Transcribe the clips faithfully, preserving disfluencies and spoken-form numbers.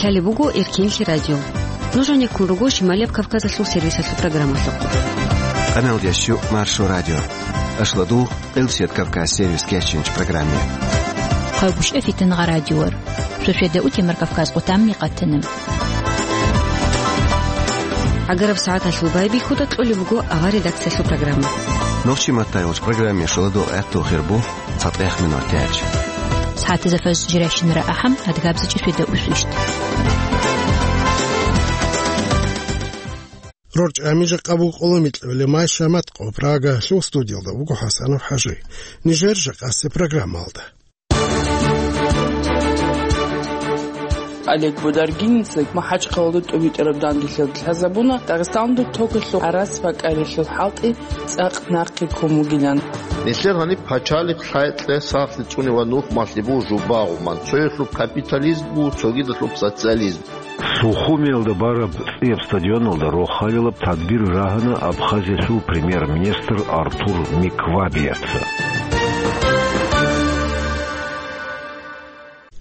Гьале буго Эркинлъи радио. Нуж гьанеккун руго Шималияб Кавказалъул сервисалъул программалъухъ. Къамелдящу Маршо радио. Ашладу Къилсият Кавказ сервис кечинч программе. Хъайгъушъа фитнагъа радиор. Шошведа утемар Кавказ къутамни къатана. Агараб сагӀаталъул байбихьуда кьолеб буго авар редакциялъул программа. Нохчи маттайгъуч программе шуладу гӀехту хирбу. ЦатӀех минут тяч. СагӀатазда фаз жиращинара ахӀам, адгабзачӀи светаусущт. РорчӀами жакъа буго къоло микьабилеб май шамат къо Прагалъул студиялда буго ХӀасанов ХӀажи. Нижер жакъасеб программалда. Олег Бударгиница МахӀачхъалада тӀубитӀараб данделъиялда лъазабуна Дагъистаналда токалъул гӀарац бакӀарилъул хӀалтӀи цӀакъ нахъе ккун бугилан. Нилъер гьаниб пачалихъ лъай-кье сахлъи цӀуне ва нухмалъи буго жубагъуман, цоялъуб капитализм буго, цогидалъуб социализм. Сухумиялда бараб цӀияб стадионалда рохалилаб тадбир рагьана Абхазиялъул премьер-министр Артур Миквабияца.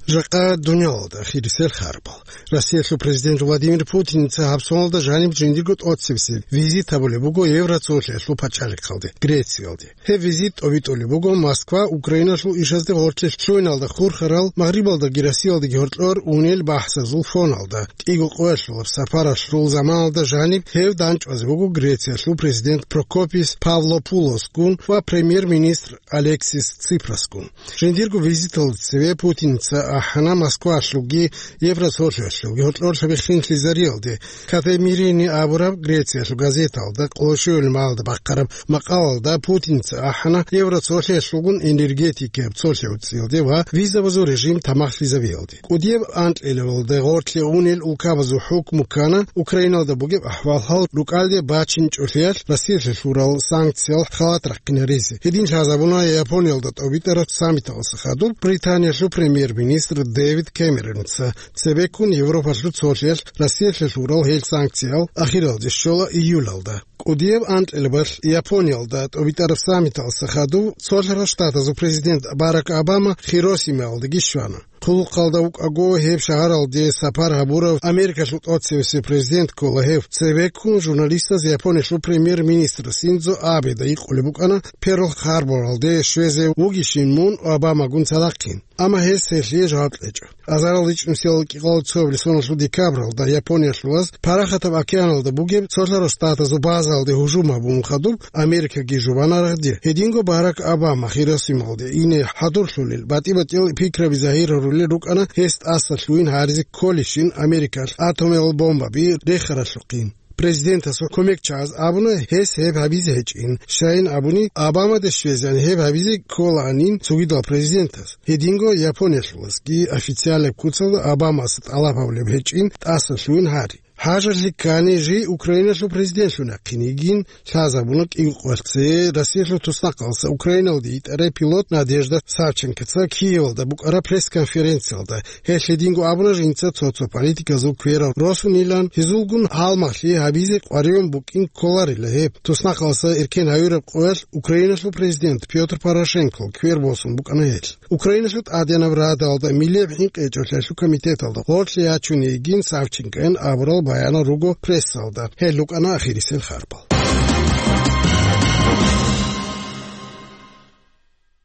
Жакъа дуниялалда хирисел харбал. Россиялъул президент Владимир Путиница гьаб соналда жаниб жиндирго тӀоцебесеб визит гьабулеб буго Евроцолъиялъул пачалихъалде, Грециялде. Гьеб визит тӀобитӀулеб буго Москва Украиналъул ишазде гъорлъе лъугьиналда хурхарал, Магърибалдаги Россиялдаги гьоркьор унел бахӀсазул фоналда. КӀиго къоялъулаб сапаралъул заманалда жаниб гьев данчӀвазе буго Грециялъул президент Прокопис Павлопулосгун ва премьер-министр Алексис Ципрасгун. Жиндирго визиталда цеве Путиница ахӀана Москвалъулги Евросолъиялъулги гьоркьор лъабихъин лъизариялде. Катемирини абураб Грециялъул газеталда къоло щуябилеб майда бахъараб макъалалда Путиница ахӀана Евросолъиялъулгун энергетикаяб цолъи гӀуцӀиялде ва визабазул режим тамахлъизабиялде. КӀудияб анкьилабалда гъорлъе унел улкабазул хӀукму ккана Украиналда бугеб ахӀвал-хӀал рукӀалде бачинчӀолъиялъ Россиялъе лъурал санкциял халат рахъинаризе. Гьедин лъазабуна Япониялда тӀобитӀараб саммиталдаса хадуб Британиялъул премьер-министр Дэвид Кэмероница. Цебеккун Европалъул цолъиялъ Россиялъе лъурал гьел санкциял ахиралде щола июлалда. КӀудияб анкьилабалъ Япониялда тӀобитӀараб саммиталдаса хадуб Цолъарал Штатазул президент Барак Обама Хиросимаялдаги щвана. Хъулухъалда вукӀаго гьеб шагьаралде сапар гьабурав Америкалъул тӀоцевесев президент ккола гьев. Цебеккун журналистаз Япониялъул премьер-министр Синдзо Абеда гьикъулеб букӀана, Перл-Харборалде щвезе вугищин мун Обамагун цадахъин. Амма гьес гьелъие жаваб кьечӀо. Азарил ричӀнусиял кӀикъоялда цоябилеб соналъул декабралда Япониялъулаз Парахатаб океаналда бугеб Цолъарал Штатазул базаялде гьужум гьабун хадуб, Америкаги жубана рагъди. Гьединго Барак Обама Хиросималде ине хӀадурлъулел, батӀи-батӀиял пикраби загьир гьарулел рукӀана гьес тӀаса лъугьин гьаризе кколищин Америкалъ атомиял бомбаби рехаралъухъин. Президентасул кумекчагӀаз абуна гьес гьеб гьабизе гьечӀин. Щайин абуни, Обамаде щвезегӀан гьеб гьабизе кколаанин цогидал президентас. Гьединго Япониялъулазги официалаб куцалда Обамаса тӀалаб гьабулеб гьечӀин тӀаса лъугьин гьари. ХӀажалъи ккани жий Украиналъул президентлъун яхъин йигин лъазабуна кӀиго къоялъ цее Россиялъул туснахъалдаса Украиналде йитӀарай пилот Надежда Савченкоца Киевалда букӀараб пресс-конференциялда. Гьелъ гьединго абуна жинца цо-цо политиказул кверал росунилан, гьезулгун гьалмагълъи гьабизе къваригӀун букӀин кколарила гьеб. Туснахъалдаса эркен гьавираб къоялъ Украиналъул президент Пётр Порошенкол квер босун букӀана гьелъ. Украиналъул ТӀадегӀанаб Радалда миллияб хӀинкъи гьечӀолъиялъул комитеталда гъорлъе ячун йигин Савченкоян абурал баянал руго прессалда. Гьел рукӀана ахирисел харбал.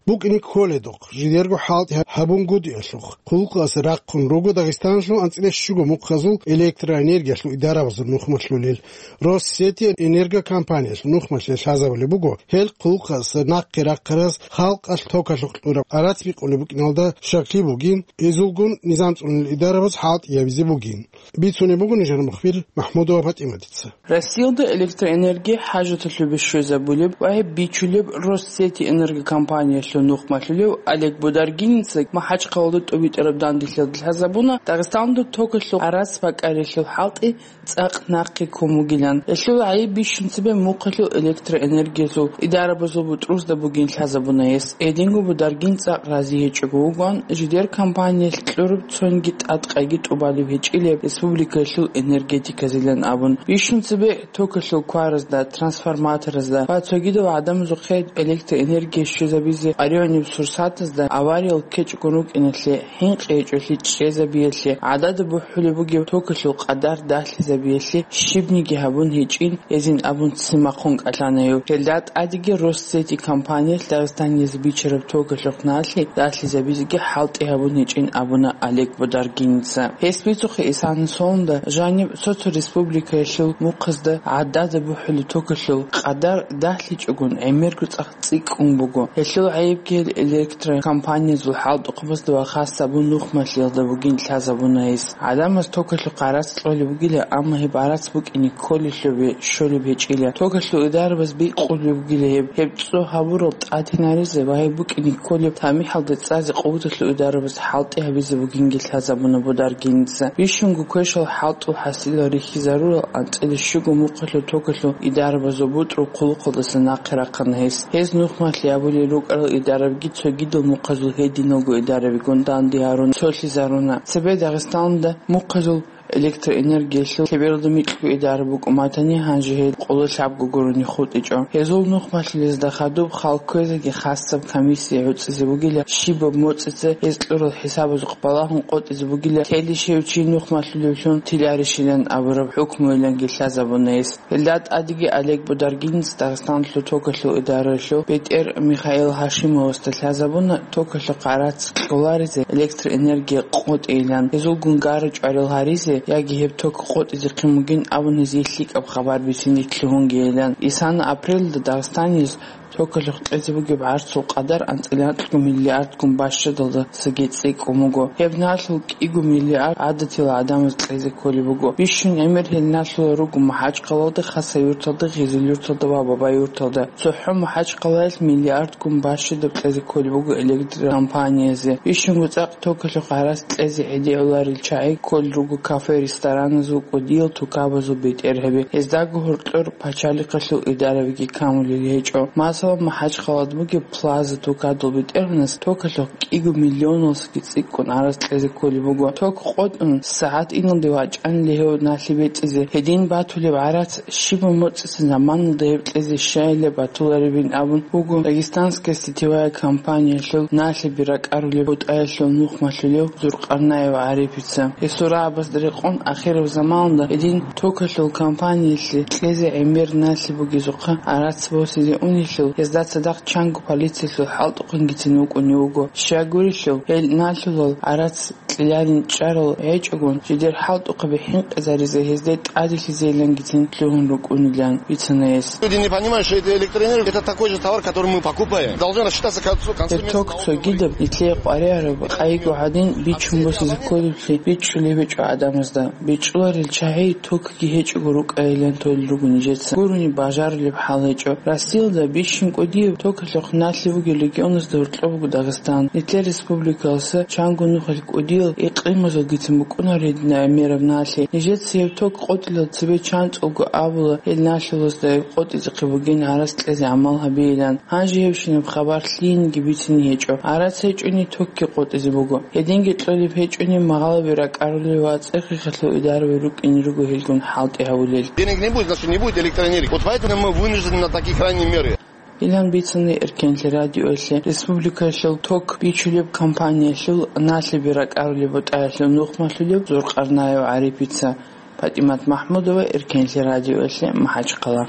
БукӀине кколедухъ, жидерго хӀалтӀи гьабунгутӀиялъухъ, хъулухъалъе рахъун руго Дагъистаналъул анцӀила щуго мухъазул электроэнергиялъул идарабазул нухмалъулел. Россети энергокомпаниялъул нухмалъе лъазабулеб буго, гьел хъулухъалъе нахъе рахъараз халкъалъ токалъухъ кьураб гӀарац бикъулеб букӀиналда щаклъи бугин, гьезулгун низам цӀунел идарабаз хӀалтӀи гьабизе бугин. Бицунеб буго нижер мухбир МахӀмудова ПатӀиматица. Россиялда электроэнергия хӀажаталъубе щвезабулеб ва гьеб бичулеб Россети энергокомпаниялъул нухмалъулев Олег Бударгиница МахӀачхъалада тӀубитӀараб данделъиялда лъазабуна Дагъистаналда токалъул гӀарац бакӀарилъул хӀалтӀи цӀакъ нахъе ккун бугилан. Гьелъул гӀайиб бищун цебе мухъалъул электроэнергиялъул идарабазул бутӀрузда бугин лъазабуна гьес. Гьединго Бударгин цӀакъ рази гьечӀого вугоан, жидер компаниялъ кьураб цонги тӀадкъайги тӀубалеб гьечӀилеб республикалъул энергетиказилан абун. Бищун цебе токалъул кваразда, трансформаторазда ва цогидал гӀадамазухъе электроэнергия щвезабизе Райониб сурсатазда авариял ккечӀого рукӀиналъе, хӀинкъи гьечӀолъи чӀезабиялъе, гӀадада бухӀулеб бугеб токалъул къадар далъизабиялъе щибниги гьабун гьечӀин, гьезин абун ццин бахъун кӀалъана гьев. Гьелда тӀадеги Россети компаниялъ Дагъистанизе бичараб токалъухъ налъи далъизабизеги хӀалтӀи гьабун гьечӀин абуна Олег Бударгиница. Гьес бицухъе, исана сонда жаниб цо-цо республикаялъул мухъазда гӀадада бухӀулеб токалъул къадар далъичӀогон гӀемерго цӀакъ цӀикӀкӀун буго. Гьелъул гӀайибги гьел электрокомпаниязул хӀалтӀухъабазда ва хас гьабун нухмалъиялда бугин лъазабуна гьес. ГӀадамаз токалъухъ гӀарац кьолеб бугила, амма гьеб гӀарац букӀине кколелъубе щолеб гьечӀила. Токалъул идарабаз бикъулеб бугила гьеб, гьеб цо гьабурал тӀадинаризе ва гьеб букӀине кколеб тамихӀалда цӀазе къуваталъул идарабаз хӀалтӀи гьабизе бугинги лъазабуна Бударгиница. Бищунго квешал хӀалтӀул хӀасилал рихьизарурал анцӀила щуго мухъалъул токалъул идарабазул бутӀрул хъулухъалдаса нахъе рахъана гьес. Гьез нухмалъи абулел рукӀарал идарабги цогидал мухъазул гьединалго идарабигун данде гьарун цолъизаруна. Цебе Дагъистаналда мухъазул электроэнергиялъул лъебералда микьго идараб букӀун батани, гьанже гьел къоло лъабго гурони хутӀичӀо. Гьезул нухмалъилезда хадуб хал кквезеги хасаб комиссия гӀуцӀизе бугила, щибаб моцӀица гьез кьурал хӀисабазухъ балагьун къотӀизе бугила, телищев чи нухмалъулевлъун тиларищилан абураб хӀукмуяланги лъазабуна гьес. Гьелда тӀадеги Олег Бударгинец Дагъистаналъул токалъул идаралъул бетӀер Михаил Гьашимовасда лъазабуна токалъухъ гӀарац кьоларизе электроэнергия къотӀейилан, гьезулгун гара чӀварал гьаризе яги гьеб ток къотӀизехъин бугин абун гьезие лъикӀаб хабар бицин лъугьунгейилан. Исана апрелалда Дагъистаниялъ токалъухъ кьезе бугеб гӀарцул къадар анцӀила анкьго миллиардгун бащадалдасаги цӀикӀкӀун буго. Гьеб налъул кӀиго миллиард гӀадатила гӀадамаз кьезе кколеб буго. Бищун гӀемер гьел налъулел руго МахӀачхъалалда, Хасавюрталда, Гъизилюрталда ва Бабаюрталда. ЦохӀо МахӀачхъалаялъ миллиардгун бащадаб кьезе кколеб буго электрокомпаниязе. Бищунго цӀакъ токалъухъ гӀарац кьезе гӀедегӀуларел чагӀи кколел руго кафе-рестораназул, кӀудиял тукабазул бетӀергьаби. Гьездаго гьоркьор пачалихъалъул идарабиги камулел гьечӀо. Масала, МахӀачхъалада бугеб Плаза тукадул бетӀергьанас токалъухъ кӀиго миллионалдасаги цӀикӀкӀун гӀарац кьезе кколеб буго. Ток къотӀун, сагӀат иналде вачӀанила гьев налъи бецӀизе. Гьедин батулеб гӀарац щибаб моцӀица заманалда гьеб кьезе щайилеб батуларебин абун буго Дагестанская сетевая компаниялъул налъиби ракӀарулеб бутӀаялъул нухмалъулев Зуркъарнаев ГӀарипица. Гьесул рагӀабазда рекъон, ахираб заманалда гьедин токалъул компаниялъе кьезе гӀемер налъи бугезухъа гӀарац босизе унелъул, гьезда цадахъ чанго полициялъул хӀалтӀухъангицин вукӀунев вуго. Щайгурелъул, гьел налъулал гӀарац кьеларин чӀарал гьечӀогун, жидер хӀалтӀухъаби хӀинкъизаризе гьезде тӀаделъизейилангицин лъугьун рукӀунилан бицана гьес. Люди не понимают, что это электроэнергия, это такой же товар, который мы покупаем. Должны рассчитаться к концу, к концу месяца налоговой. Гьеб ток цогидаб, нилъее къваригӀараб къайгогӀадин бичун босизе кколеблъи бичӀчӀулеб гьечӀо гӀадамазда. БичӀчӀуларел чагӀи токги гьечӀого рукӀайилан толел руго нижеца. Гурони бажарулеб хӀал гьечӀо. Россиялда бищун кӀудияб токалъухъ налъи бугел регионазда гьоркьоб буго Дагъистан. Нилъер республикалъа чанго нухалъ кӀудиял икълимазулгицин букӀунаро гьединаб гӀемераб налъи. Нижеца гьеб ток къотӀилал цебе чанцӀулго абула гьел налъулазда гьеб къотӀизехъе бугин гӀарац кьезе гӀамал гьабейилан. Гьанже гьебщинаб хабар лъиениги бицине гьечӀо. ГӀарац гьечӀони токги къотӀизе буго. Гьединги кьолеб гьечӀони, магъалаби ракӀарулел ва цӀехихъалъул идараби рукӀине руго гьелгун хӀалтӀи гьабулел. Денег не будет, значит, не будет электроэнергии. Вот поэтому мы вынуждены на такие крайние меры. Илан бицани Эркенлъи радиоялъе республикаялъул ток бичулеб компаниялъул налъиби ракӀарулеб бутӀаялъул нухмалъулев Зуркъарнаев ГӀарипица. ПатӀимат Махмудова, Эркенлъи радиоялъе, МахӀачхъала.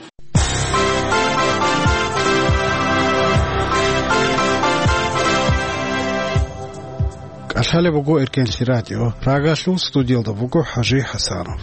КӀалъалеб буго Эркенлъи радио. Прагалъул студиялда буго ХӀажи ХӀасанов.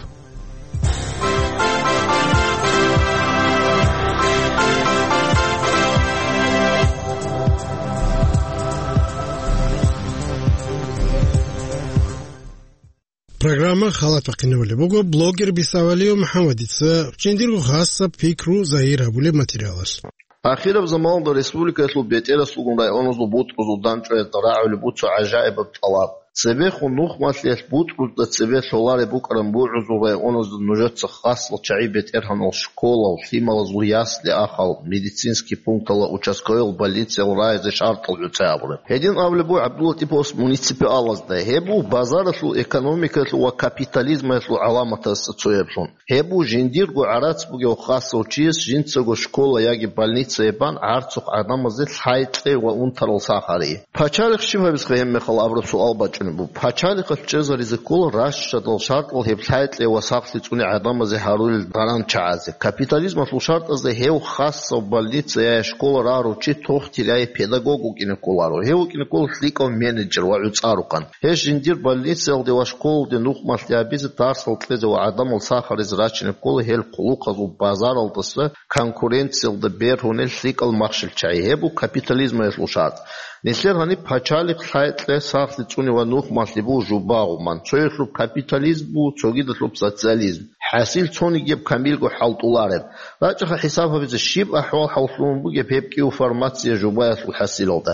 Программа халат бахъинабулеб буго блогер Бисавалиев МухӀаммадица жиндирго хасаб пикру загьир гьабулеб материалалъ. Ахираб заманалда республикаялъул бетӀерасулгун районазул бутӀрузул дандчӀваязда рагӀулеб буго цо гӀажаибаб тӀалаб. Цебехун нухмалъиялъ бутӀрузда цебе лъолареб букӀараб бугӀузул районазда нужеца хасал чагӀи бетӀергьанал школал, лъималазул ясли-ахал, медицинский пунктал ва участковыйал больнициял рагӀизе шартӀал гӀуцӀи абураб. Гьедин абулеб буго ГӀабдуллатӀиповас муниципалазда, гьеб буго базаралъул экономикаялъул ва капитализмаялъул гӀаламатазда цояблъун. Гьеб буго жиндирго гӀарац бугев хасав чияс жинцаго школа яги больница гьеб бан гӀарцухъ гӀадамазе лъай-кьей ва унтарал сахари. Пачалихъ щиб гьабизехъе гьеб мехалъ абураб суал бачӀунеб буго. Пачалихъалъ чӀезаризе ккола ращадал шартӀал гьеб лъай-кьей ва сахлъи цӀуне гӀадамазе гьарулел даран чагӀазе. Капитализмалъул шартӀазда гьев хасав больница я школа рагьарав чи тохтир я педагог вукӀине кколаро. Гьев вукӀине ккола лъикӀав менеджер ва гӀуцӀарухъан. Гьес жиндир больницаялде ва школалде нухмалъи гьабизе, дарсал кьезе ва гӀадамал сахаризе рачине ккола гьел хъулухъазул базаралдаса конкуренциялда бергьунел лъикӀал махщел чагӀи. Гьеб буго капитализмаялъул шартӀ. Нилъер гьаниб пачалихъ лъай-кьей сахлъи цӀуне ва нухмалъи буго жубагъуман. Цояблъуб капитализм буго, цогидалъуб социализм. ХӀасил цонигияб камилго хӀалтӀулареб. РачӀаха хӀисаб гьабизе, щиб ахӀвал-хӀал лъугьун бугеб гьеб кӀиго формация жубаялъул хӀасилалда.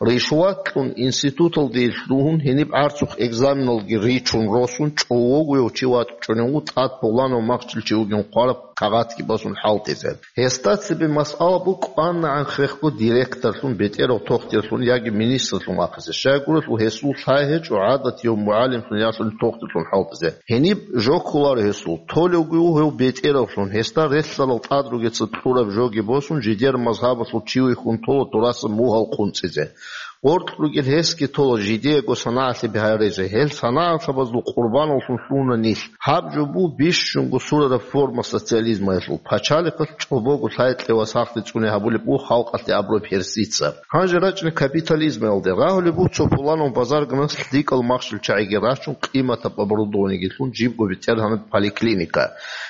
Ришват кьун, институталде лъугьун, гьениб гӀарцухъ экзаменалги ричун росун, чӀовогояв чи вачӀунев вуго тӀад пуланав махщел чи вугин хъвараб кагъатги босун хӀалтӀизе. Гьесда цебе масъала буго кӀванагӀан хехго директорлъун, бетӀерав тохтирлъун яги министрлъун вахъизе. Щайгурелъул гьесул лъай гьечӀо гӀадатияв мугӀалимлъун яги тохтирлъун хӀалтӀизе. Гьениб жо кколаро гьесул, толевги вуго гьев бетӀеравлъун, гьесда релълъарал тӀад ругеца кьураб жоги босун, жидер мазгьабалъул чи вихьун тола дураса мугьал къунцӀизе. Гъоркь ругел гьесги тола жидеего санагӀалъи бигьаризе. Гьел санагӀалъабазул къурбаналлъун лъугьуна нилъ. Гьаб жо буго бищунго сурараб форма социализмаялъул. Пачалихъалъ чӀобого лъай-кьей ва сахлъи цӀуне гьабулеб буго халкъалъе абураб гьерсица. Гьанже рачӀине капитализмаялде. Рагьулеб буго цо пуланав базарганас лъикӀал махщел чагӀиги рачун, къиматаб оборудованиеги лъун, жибго бетӀергьанаб поликлиника.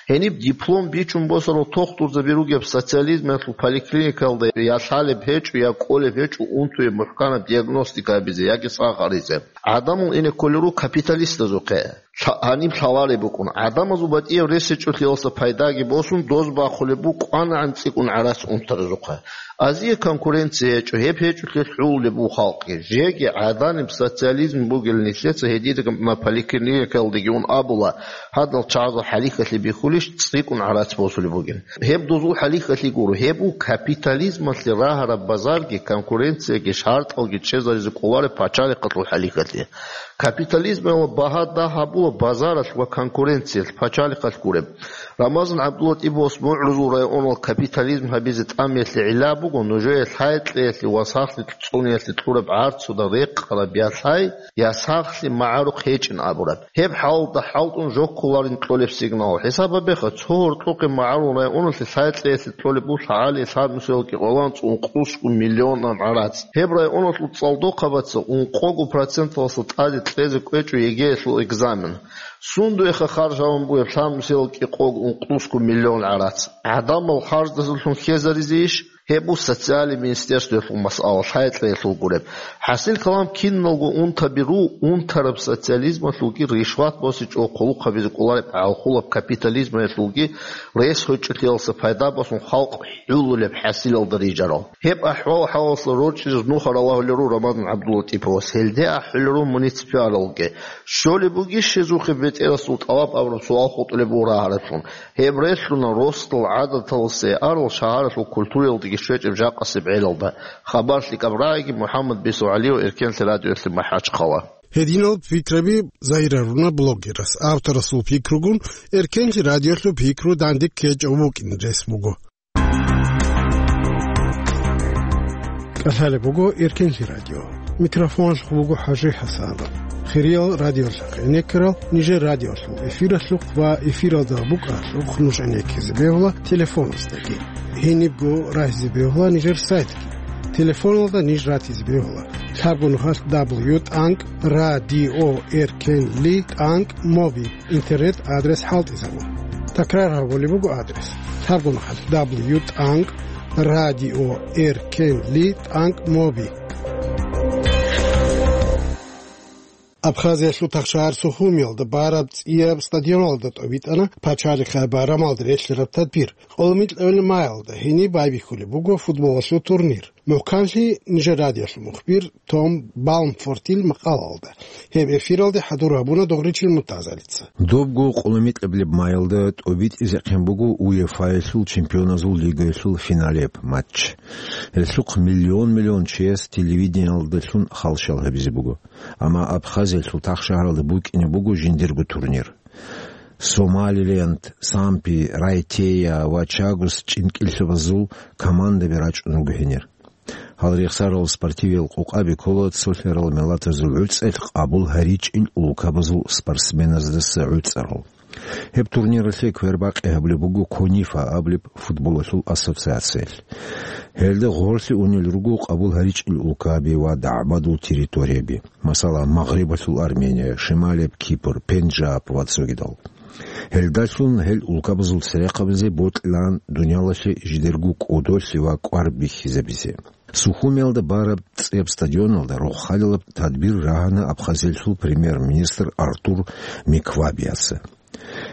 Гьениб диплом бичун босарал тохтурзаби ругеб социализмаялъул поликлиникаялда я лъалеб гьечӀо, я кӀолеб гьечӀо унтуе мухӀканаб диагностика гьабизе яги сахаризе. ГӀадамал ине кколел руго капиталистазухъе. Лъа-, гьаниб лъалареб букӀун. ГӀадамазул батӀияб рес гьечӀолъиялса пайдаги босун, доз бахъулеб буго кӀванагӀан цӀикӀкӀун гӀарац унтаразухъа. Азие конкуренция гьечӀо, гьеб гьечӀолъи хӀулулеб буго халкъги. Жеги гӀаданиб социализм бугел нилъеца гьединаб поликлиникаялдеги ун абула, гьадал чагӀазул хӀалихьалъи бихьулищ цӀикӀкӀун гӀарац босулеб бугин. Гьеб дозул хӀалихьалъи гуро, гьеб буго капитализмалъе рагьараб базарги, конкуренцияги, шартӀалги чӀезаризе кӀолареб пачалихъалъул хӀалихьалъи. Капитализмалъ багьа дагь гьабула базаралъ ва конкуренциялъ, пачалихъалъ гуреб. Рамазан ГӀабдуллатӀиповас МугӀрузул районал капитализм гьабизе тӀамиялъе гӀилла буго нужее лъай-кьеялъе ва сахлъи цӀуниялъе кьураб гӀарцуда рекъараб я лъай, я сахлъи магӀарухъ гьечӀин абураб. Гьеб хӀалалда хӀалтӀун жо кколарин кьолеб сигнал. ХӀисаб гьабеха, цо гьоркьохъе МагӀарул районалъе лъай-кьеялъе кьолеб буго лъагӀалие лъабнусиялда кӀикъоялда ункъусго миллионаб гӀарац. Гьеб районалъул цӀалдохъабаца ункъого проценталъа тӀаде кьезе кӀвечӀо ЕГЭялъул экзамен. Сундуеха харж гьабун бугеб лъабнусиялда кӀикъого ункъусго миллион гӀарац? ГӀадамал харждасалъун хьезаризейищ? Гьеб буго социальный министерствоялъул масъала, лъай-кьеялъул гуреб. ХӀасил калам, киналго унтаби руго, унтараб социализмалъулги ришват босичӀого хъулухъ гьабизе кӀолареб гӀалхулаб капитализмаялъулги рес гьечӀолъиялса пайда босун халкъ хӀулулеб хӀасилалда рижарал. Гьеб ахӀвал-хӀалалъа рорчӀизе нухал ралагьулел руго Рамазан ГӀабдуллатӀиповас, гьелде ахӀулел руго муниципалалги. Щолеб бугищ гьезухъе бетӀерасул тӀалаб абураб суал хутӀулеб буго рагьараблъун. Гьеб релълъуна росдал гӀадаталасе арал шагьаралъул культураялдаги щвечӀеб жакъасеб гӀелалда. Хабар лъикӀаб рагӀиги, МухӀаммад Бисугьалиев, Эркенлъи радиоялъе МахӀачхъала. Гьединал пикраби загьирлъуна блогерас. Авторасул пикругун Эркенлъи радиоялъул пикру дандеккечӀев вукӀин рес буго. КӀалъалеб буго Эркенлъи радио. Микрофоналъухъ буго ХӀажи ХӀасанов. Хириял радиолъахъ гӀенеккарал нижер радиолъул эфиралъухъ ва эфиралда букӀаралъухъ нуж гӀенеккизе бегьула телефоназдаги. Гьенибго рагьизе бегьула нижер сайтги. Телефоналда ниж ратизе бегьула: лъабго нухалъ дабл ю тӀанкӀ радио эркенли тӀанкӀ моби. Интернет-адрес хӀалтӀизабун. Такрар гьабулеб буго адрес: лъабго нухалъ дабл ю тӀанкӀ радио эркенли тӀанкӀ моби. Абхазиялъул пахчагӀар Сухумиялда бараб цӀияб стадионалда тӀобитӀана пачалихъ байрамалда релълъараб тадбир. Къоло микьабилеб маялда гьениб байбихьулеб буго футболалъул турнир. МухӀканлъи нижер радиолъул мухбир Том Балмфортил макъалаялда. Гьеб эфиралде хӀадур гьабуна Дугъричил Муртазалица. Добго къулумикьаблеб майалда тӀобитӀизехъин буго УЕФА-ялъул чемпионазул лигаялъул финалеб матч. Гьелъухъ миллион-миллион чияс телевидениялдалъун халщал гьабизе буго. Амма Абхазиялъул тахшагьаралда букӀине буго жиндирго турнир. Сомалиленд, Сампи, Райтея ва Чагос чӀинкӀиллъабазул командаби рачӀун руго гьенир. Гьал рехсарал спортивиял къокъаби ккола цолъарал миллатазул гӀуцӀелъ къабул гьаричӀел улкабазул спортсменаздаса гӀуцӀарал. Гьеб турниралъе квербакъи гьабулеб буго КОНИФА абулеб футболалъул ассоциациялъ. Гьелда гъорлъе унел руго къабул гьаричӀел улкаби ва дагӀбадул территорияби, масала, Магърибалъул Армения, Шималияб Кипр, Пенджаб ва цогидал. Гьелдалъун гьел улкабазул церехъабазе бокьилаан дуниялалъе жидерго кӀодолъи ва кӀвар бихьизабизе. Сухумиялда бараб цӀеб стадионалда рохалилаб тадбир рагьана Абхазиялъул премьер-министр Артур Миквабияца.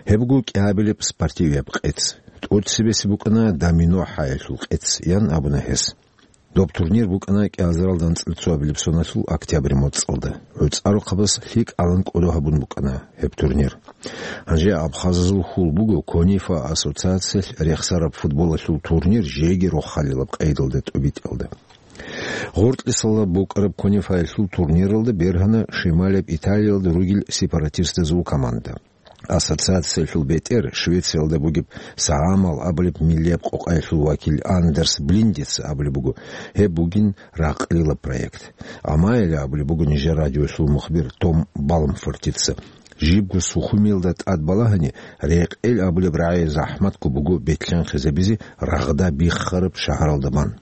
Гьеб буго кӀиабилеб спортивияб къец. ТӀоцебесеб букӀана домино хӀаялъул къец, ян абуна гьес. Доб турнир букӀана кӀиазаралда анцӀила цоабилеб соналъул октябрь моцӀалда. ГӀуцӀарухъабаз лъикӀалан кӀодо гьабун букӀана гьеб турнир. Гьанже абхазазул хьул буго КОНИФА ассоциациялъ рехсараб футболалъул турнир жеги рохалилаб къайдалда тӀобитӀиялда. Гъоркьисалда букӀараб КОНИФАялъул турниралда бергьана Шималияб Италиялда ругел сепаратистазул команда. Ассоциациялъул бетӀер Швециялда бугеб СагӀамал абулеб миллияб къокъаялъул вакил Андерс Блиндица абулеб буго, гьеб бугин ракълилаб проект. Амайила абулеб буго нижер радиоялъул мухбир Том Балмфортица. Жибго Сухумиялда тӀад балагьани, Рекъел абулеб рагӀи захӀматго буго бетлъанхъизабизе рагъда биххараб шагьаралда бан.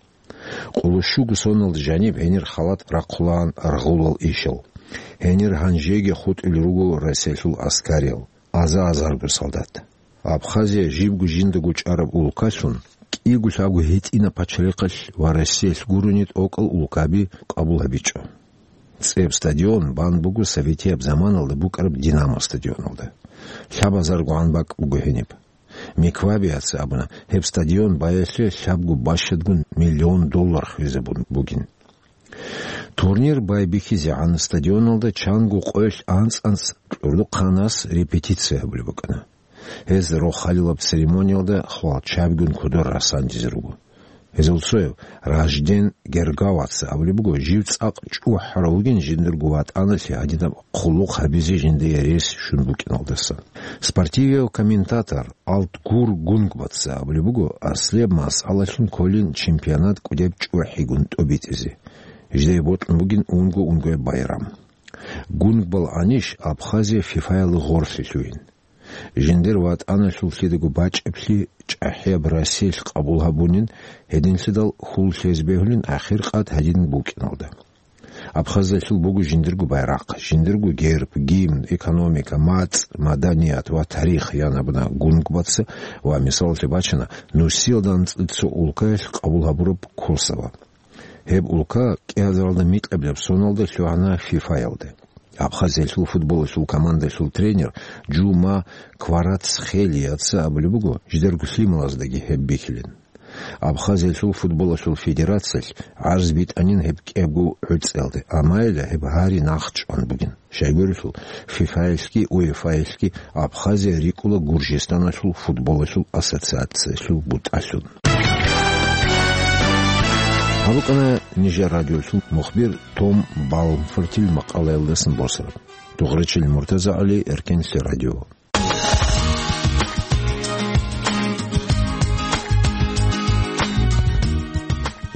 Къоло щуго соналда жаниб гьенир халат рахъулаан аргъулал ишал. Гьенир гьанжеги хутӀулел руго Россиялъул аскариял, аза-азарго солдат. Абхазия жибго жиндаго чӀараб улкалъун, кӀиго-лъабго гьитӀинаб пачалихъалъ ва Россиялъ гурони тӀокӀал улкаби къабул гьабичӀо. ЦӀеб стадион бан буго советияб заманалда букӀараб Динамо стадионалда. Лъабазарго гӀан бакӀ буго гьениб. Миквабияца абуна, гьеб стадион баялъе лъабго бащадгун миллион доллар хвезабун бугин. Турнир байбихьизегӀан стадионалда чанго къоялъ анцӀ-анцӀ кьурдухъанас репетиция гьабулеб букӀана. Гьез рохалилаб церемониялда хвалчабигун кодор расандизе руго. Гьезул цояв Ражден Гергаваца абулеб буго, жив цӀакъ чӀухӀарав вугин жиндирго ватӀаналъе гьадинаб хъулухъ гьабизе жиндие рес щун букӀиналдаса. Спортивияв комментатор Алтгур Гунгбаца абулеб буго, аслияб масъалалъун кколин чемпионат кӀудеб чӀухӀигун тӀобитӀизе. Жидее бокьун бугин унго-унгояб байрам. Гунгбал гьаниш Абхазия ФИФАялда гъорлъе лъугьин. Жиндир ватӀаналъул лъидаго бачӀаблъи чӀахӀияб Россиялъ къабул гьабунин, гьединлъидал хьул лъезе бегьулин ахиркъад гьадин букӀиналда. Абхазиялъул буго жиндирго байрахъ, жиндирго герб, гимн, экономика, мацӀ, маданият ва тарих, ян абуна Гунгбаца ва мисалалъе бачана нусиялда анцӀила цо улкаялъ къабул гьабураб Косово. Гьеб улка кӀиазаралда микьабилеб соналда лъугьана ФИФАялде. Абхазиялъул футболалъул командалъул тренер Жума Кварацхелияца абулеб буго, жидерго лъималаздаги гьеб бихьилин. Абхазиялъул футболалъул федерациялъ гӀарз битӀанин гьеб кӀиябго гӀуцӀиялде, амайила гьеб гьари нахъчӀван бугин. Щайгурелъул, ФИФАялъги УЕФАялъги Абхазия рикӀкӀула Гуржистаналъул футболалъул ассоциациялъул бутӀалъун. Гьаб букӀана нижер радиолъул мухбир Том Балмфортил макъалаялдасан босараб. Дугъричил МуртазагӀали, Эркенлъи радио.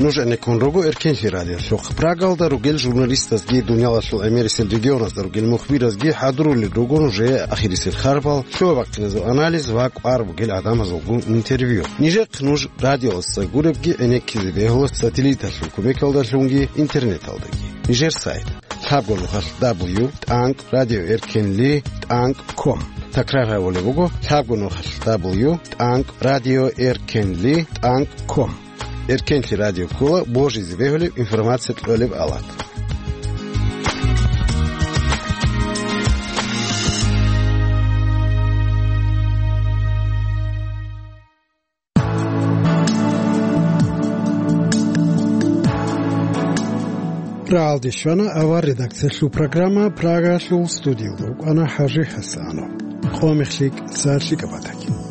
Нуж гӀенеккун руго Эркенлъи радиолъухъ. Прагалда ругел журналистазги, дуниялалъул гӀемерисел регионазда ругел мухбиразги хӀадурулел руго нужее ахирисел харбал, лъугьа-бахъиназул анализ ва кӀвар бугел гӀадамазулгун интервью. Нижехъ нуж радиоялдаса гуребги гӀенеккизе бегьула сателлиталъул кумекалдалъунги интернеталдаги. Нижер сайт: лъабго нухалъ дабл ю тӀанкӀ радио эркенли тӀанкӀ ком. Такрар гьабулеб буго: лъабго нухалъ дабл ю тӀанкӀ радио эркенли тӀанкӀ ком. Эркенлъи радио ккола божизе бегьулеб информация кьолеб алат. Рагьалде щвана авар редакциялъул программа. Прагалъул студиялда рукӀана ХӀажи ХӀасанов. Къо мехлъи кӀиса лъикӀаб батаги.